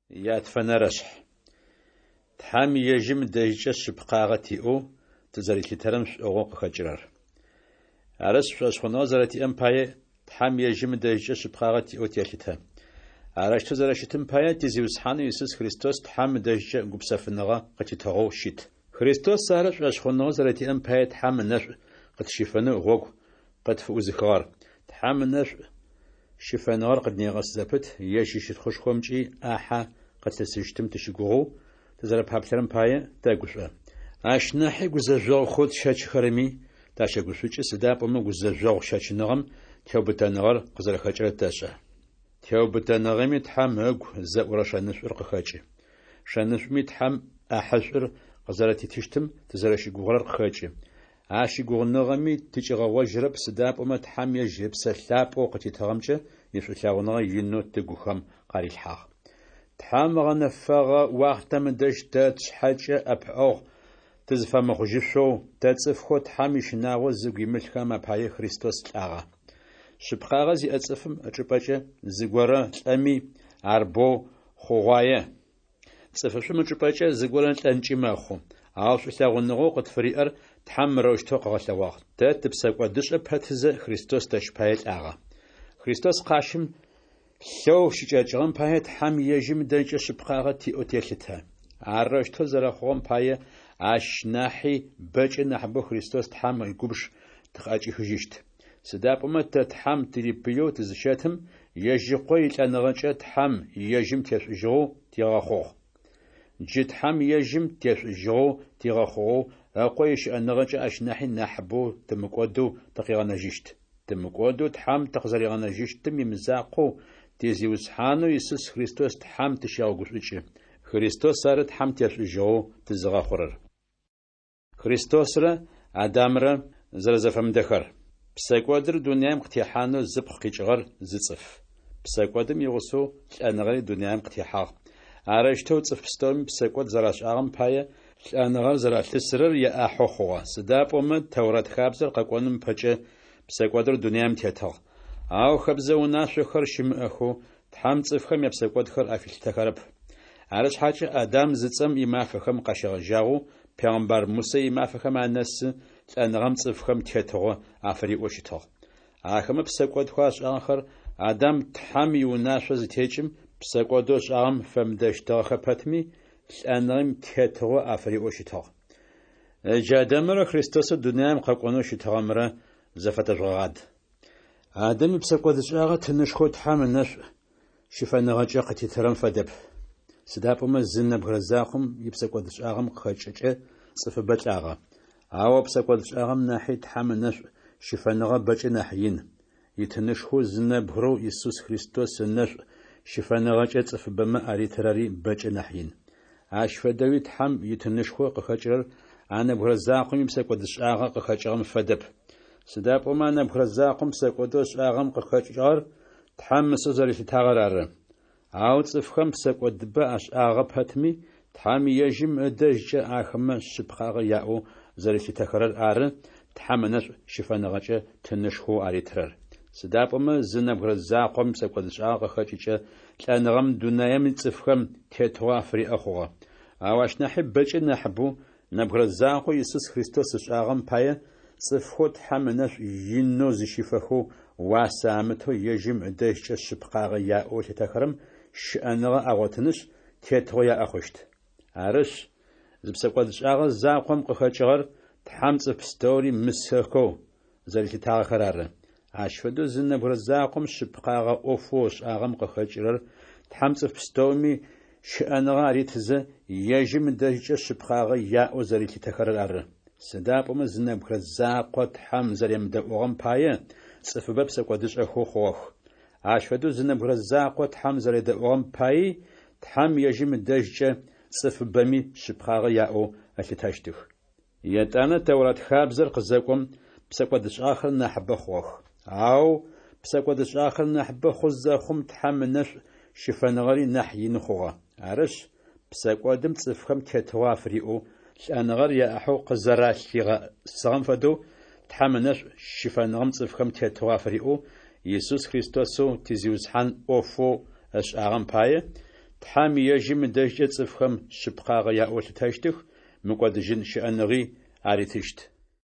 Ятфэнэрэшъхь. Тхьэм ежьым ыдэжькӏэ шъыпкъагъэ тиӏэу тызэрилъытэрэм шӏугъэу къыхэкӏырэр. Арышъ, шӏошъхъуныгъэ зэрэтиӏэм пае, Тхьэм ежьым ыдэжькӏэ шъыпкъагъэ тиӏэу телъытэ. Арэущтэу зэрэщытым пае, ти Зиусхьанэу Исус Христос Тхьэм ыдэжькӏэ гупсэфыныгъэ къытитыгъэу щыт. Христос ары шӏошъхъуныгъэ зэрэтиӏэм пае Тхьэм ынэшӏу къытщифэнэу гъогу къытфыӏузыхыгъэр. Тхьэм ынэшӏу щыфэныгъэр къыднегъэс зэпыт, ежь ищытхъушхомкӏи ӏахьэ къытлъысыщтым тыщыгугъэу тызэрэпаплъэрэм пае тэгушӏо. Ащ нахьи гузэжъогъухэу тщэчыхэрэми тащэгушӏукӏы, сыда пӏомэ гузэжъогъу щэчыныгъэм теубытэныгъэр къызэрэхэкӏырэр тэшӏэ. Теубытэныгъэми Тхьэм ыгу зэӏурэ шэнышӏур къыхэкӏы. Шэнышӏуми Тхьэм ӏахьышӏур къызэрэтитыщтым тызэрэщыгугъырэр къыхэкӏы. А щыгугъыныгъэми тыкӏигъэгъожьырэп, сыда пӏомэ Тхьэм ежь Ыпсэ Лъапӏэу къытитыгъэмкӏэ ишӏулъэгъуныгъэ инэу тыгухэм къарилъхьагъ. Тхьэм ыгъэнэфэгъэ уахътэм ыдэжь тэ тшъхьэкӏэ ӏэпыӏэгъу тызыфэмыхъужьышъоу, тэ цӏыфхэу Тхьэм ищынагъо зыгу имылъхэм апае Христос лӏагъэ. Шъыпкъагъэ зиӏэ цӏыфым ычӏыпӏэкӏэ зыгорэ лӏэми, ар боу хъугъуае. Цӏыфышӏум ычӏыпӏэкӏэ зыгорэ лӏэнкӏи мэхъу. Ау шӏулъэгъуныгъэу къытфыриӏэр Тхьэм мырэущтэу къыгъэлъэгъуагъ: Тэ тыпсэкӏодышӏэ пэтызэ, Христос тэщ пае лӏагъэ. Христос къащым лъэу щыкӏэкӏыгъэм пае Тхьэм ежьым ыдэжькӏэ шъыпкъагъэ тиӏэу телъытэ. Арэущтэу зэрэхъугъэм пае ащ нахьи бэкӏэ нахьыбэу Христос Тхьэм игубж тыкъыӏэкӏихыжьыщт. Сыда пӏомэ тэ Тхьэм тырипыеу тызыщэтым, ежь Ыкъо илӏэныгъэкӏэ Тхьэм ежьым тешӏужьыгъэу тигъэхъугъ. Джы Тхьэм ежьым тешӏужьыгъэу тигъэхъугъэу Ыкъо ищыӏэныгъэкӏэ ащ нахьи нахьыбэу тымыкӏодэу тыкъигъэнэжьыщт. Тымыкӏодэу Тхьэм тыкъызэригъэнэжьыщтым имызакъоу, ти Зиусхьанэу Исус Христос Тхьэм тыщегъэгушӏукӏы. Христос ары Тхьэм тешӏужьыгъэу тызыгъэхъурэр. Христосрэ Адамрэ зэрэзэфэмыдэхэр. Псэкӏодыр дунаим къытехьанэу зыпкъ къикӏыгъэр зы цӏыф. Псэкӏодым игъусэу лӏэныгъэри дунаим къытехьагъ. Арэущтэу цӏыф пстэуми псэкӏод зэрашӏагъэм пае, лӏэныгъэр зэралъысырэр яӏахьэу хъугъэ. Сыда пӏомэ Тэурат хабзэр къэкӏоным ыпэкӏэ псэкӏодыр дунаим тетыгъ. Ау хэбзэ унашъохэр щымыӏэхэу Тхьэм цӏыфхэм япсэкӏодхэр афилъытэхэрэп. Арышъхьакӏэ Адам зыцӏэм имафэхэм къащегъэжьагъэу пегъымбар Мусэ имафэхэм анэсы лӏэныгъэм цӏыфхэм тетыгъо афыриӏэу щытыгъ. Ахэмэ псэкӏодхэу ашӏагъэхэр Адам Тхьэм иунашъо зытекӏым, псэкӏодэу ышӏагъэм фэмыдэщтыгъэхэ пэтми, лӏэныгъэм тетыгъо афыриӏэу щытыгъ. Ыджы Адамэрэ Христосэу дунаим къэкӏонэу щытыгъэмрэ зэфэтэжъугъэгъад. Адам ипсэкӏодышӏагъэ тынышхоу Тхьэм ынэшӏу щыфэныгъэкӏэ къытитырэм фэдэп. Сыда пӏомэ зы нэбгырэ закъом ипсэкӏодшӏагъэм къыхэкӏыкӏэ цӏыфыбэ лӏагъэ. Ау а псэкӏодшӏагъэм нахьи Тхьэм ынэшӏу щыфэныгъэ бэкӏэ нахь ин. Итынышхоу зы нэбгырэу Исус Христос ынэшӏу щыфэныгъэкӏэ цӏыфыбэмэ аритырэри бэкӏэ нахь ин. Ащ фэдэуи Тхьэм итынышхо къыхэкӏырэр а нэбгырэ закъом ипсэкӏодшӏагъэ къыхэкӏыгъэм фэдэп. Сыда пӏомэ а нэбгырэ закъом псэкӏодэу ышӏагъэм къыхэкӏыгъэр Тхьэм мысэу зэрилъытагъэр ары. Ау цӏыфхэм псэкӏодыбэ ашӏагъэ пэтми, Тхьэм ежьым ыдэжькӏэ ахэмэ шъыпкъагъэ яӏэу зэрилъытэхэрэр ары Тхьэм ынэшӏу щыфэныгъэкӏэ тынышхоу аритырэр. Сыда пӏомэ зы нэбгырэ закъом ипсэкӏодшӏагъэ къыхэкӏыкӏэ лӏэныгъэм дунаим ицӏыфхэм тетыгъо афыриӏэ хъугъэ. Ау ащ нахьи бэкӏэ нахьыбэу нэбгырэ закъоу Исус Христос ышӏагъэм пае цӏыфхэу Тхьэм ынэшӏу инэу зыщифэхэу уасэ амытэу ежьым ыдэжькӏэ шъыпкъагъэ яӏэу ылъытэхэрэм щыӏэныгъэ агъотынышъ, тетыгъо яӏэ хъущт. Арышъ, зы псэкӏодшӏагъэ закъом къыхэкӏыгъэр Тхьэм цӏыф пстэури мысэхэу зэрилъытагъэхэр ары. Ащ фэдэу зы нэбгырэ закъом шъыпкъагъэ ӏофэу ышӏагъэм къыхэкӏырэр Тхьэм цӏыф пстэуми щыӏэныгъэ аритызэ, ежьым ыдэжькӏэ шъыпкъагъэ яӏэу зэрилъытэхэрэр ары. Сыда пӏомэ зы нэбгырэ закъо Тхьэм зэремыдэӏугъэм пае, цӏыфыбэ псэкӏодышӏэхэу хъугъэх. Ащ фэдэу зы нэбгырэ закъо Тхьэм зэредэӏугъэм паий Тхьэм ежьым ыдэжькӏэ цӏыфыбэми шъыпкъагъэ яӏэу ылъытэщтых. Етӏанэ Тэурат хабзэр къызэкӏом, псэкӏодышӏагъэхэр нахьыбэ хъугъэх. Ау псэкӏодышӏагъэхэр нахьыбэ хъу зэхъум, Тхьэм ынэшӏу щыфэныгъэри нахь ины хъугъэ. Арышъ, псэкӏодым цӏыфхэм тетыгъо афыриӏэу, лӏэныгъэр яӏахьэу къызэралъигъэсыгъэм фэдэу, Тхьэм ынэшӏу щыфэныгъэм цӏыфхэм тетыгъо афыриӏэу, Исус Христосэу ти Зиусхьан ӏофэу ышӏагъэм пае, Тхьэм ежьым ыдэжькӏэ цӏыфхэм шъыпкъагъэ яӏэу ылъытэщтых, мыкӏодыжьын щыӏэныгъи аритыщт.